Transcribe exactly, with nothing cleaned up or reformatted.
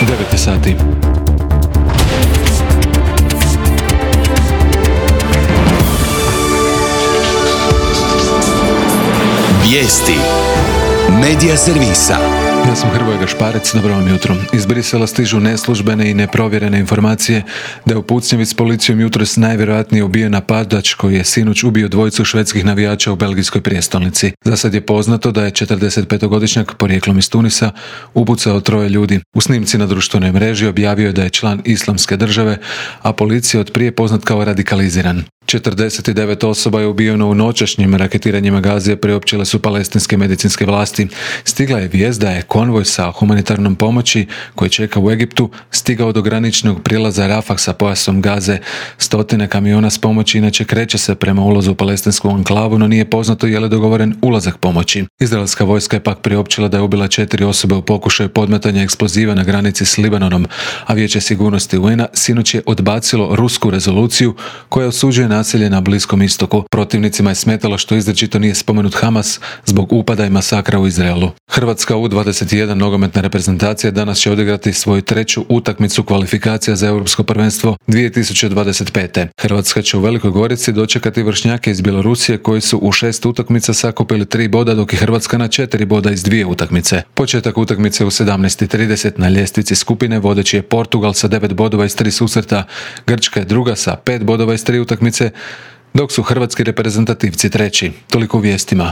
devet je sati. Vijesti Medija servisa. Ja sam Hrvoje Gašparec, dobro vam jutro. Iz Brisela stižu neslužbene i neprovjerene informacije da je u pucnjevi s policijom jutros najvjerojatnije ubijen napadač koji je sinoć ubio dvojicu švedskih navijača u belgijskoj prijestolnici. Za sad je poznato da je četrdesetpetogodišnjak porijeklom iz Tunisa upucao troje ljudi. U snimci na društvenoj mreži objavio je da je član Islamske države, a policija od prije poznat kao radikaliziran. četrdeset devet osoba je ubijeno u noćašnjim raketiranjima Gazije, priopćile su palestinske medicinske vlasti. Stigla je vijest da je konvoj sa humanitarnom pomoći koji čeka u Egiptu stigao do graničnog prijelaza Rafah sa pojasom Gaze. Stotine kamiona s pomoći inače kreće se prema ulazu u palestinsku anklavu, no nije poznato je li dogovoren ulazak pomoći. Izraelska vojska je pak priopćila da je ubila četiri osobe u pokušaju podmetanja eksploziva na granici s Libanonom, a Vijeće sigurnosti U N-a sinoć je odbacilo rusku rezoluciju koja osuđuje nasilje na Bliskom istoku. Protivnicima je smetalo što izričito nije spomenut Hamas zbog upada i masakra u Izraelu. Hrvatska U dvadeset jedan nogometna reprezentacija danas će odigrati svoju treću utakmicu kvalifikacija za Europsko prvenstvo dvije tisuće dvadeset pete. Hrvatska će u Velikoj Gorici dočekati vršnjake iz Bjelorusije koji su u šest utakmica sakupili tri boda, dok je Hrvatska na četiri boda iz dvije utakmice. Početak utakmice u sedamnaest i trideset. Na ljestvici skupine vodeći je Portugal sa devet bodova iz tri susreta, Grčka je druga sa pet bodova iz tri utakmice, dok su hrvatski reprezentativci treći. Toliko u vijestima.